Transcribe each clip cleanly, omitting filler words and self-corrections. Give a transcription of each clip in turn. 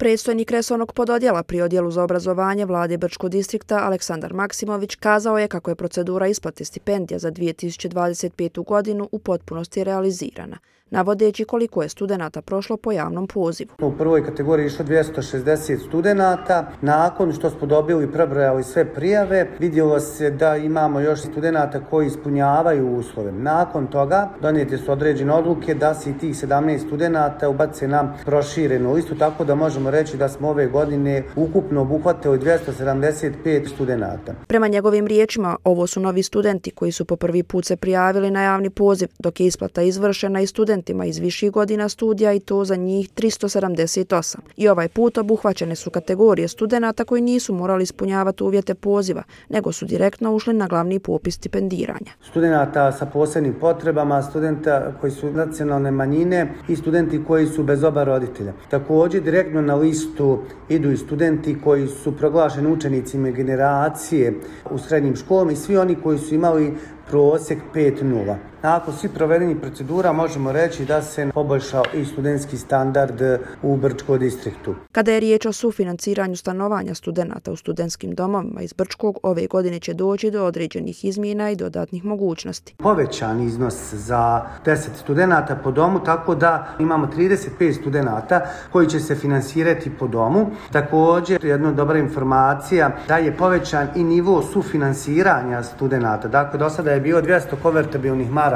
Predstojnik resornog pododjela pri Odjelu za obrazovanje Vlade Brčkog distrikta Aleksandar Maksimović kazao je kako je procedura isplate stipendija za 2025. godinu u potpunosti realizirana, navodeći koliko je studenata prošlo po javnom pozivu. U prvoj kategoriji išlo 260 studenata. Nakon što smo dobili i prebrojali sve prijave, vidjelo se da imamo još studenata koji ispunjavaju uslove. Nakon toga donijete su određene odluke da se i tih 17 studenata ubace na proširenu listu, tako da možemo reći da smo ove godine ukupno obuhvatili 275 studenata. Prema njegovim riječima, ovo su novi studenti koji su po prvi put se prijavili na javni poziv, dok je isplata izvršena i studentima iz viših godina studija i to za njih 378. I ovaj put obuhvaćene su kategorije studenata koji nisu morali ispunjavati uvjete poziva, nego su direktno ušli na glavni popis stipendiranja. Studenata sa posebnim potrebama, studenta koji su nacionalne manjine i studenti koji su bez oba roditelja. Također direktno na listu idu i studenti koji su proglašeni učenicima generacije u srednjim školama i svi oni koji su imali prosjek 5.0. Nakon svih provedenih procedura možemo reći da se poboljšao i studentski standard u Brčkom distriktu. Kada je riječ o sufinanciranju stanovanja studenata u studentskim domovima iz Brčkog, ove godine će doći do određenih izmjena i dodatnih mogućnosti. Povećan iznos za 10 studenata po domu, tako da imamo 35 studenata koji će se finansirati po domu. Također, jedna dobra informacija da je povećan i nivo sufinansiranja studenata. Dakle, do sada je bilo 200 konvertibilnih maraka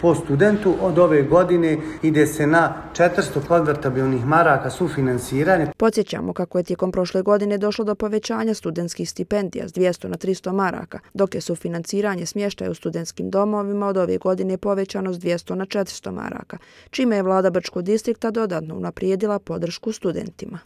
po studentu, od ove godine ide se na 400 konvertibilnih maraka sufinansiranja. Podsjećamo kako je tijekom prošle godine došlo do povećanja studentskih stipendija s 200 na 300 maraka, dok je sufinansiranje smještaja u studentskim domovima od ove godine povećano s 200 na 400 maraka, čime je Vlada Brčkog distrikta dodatno unaprijedila podršku studentima.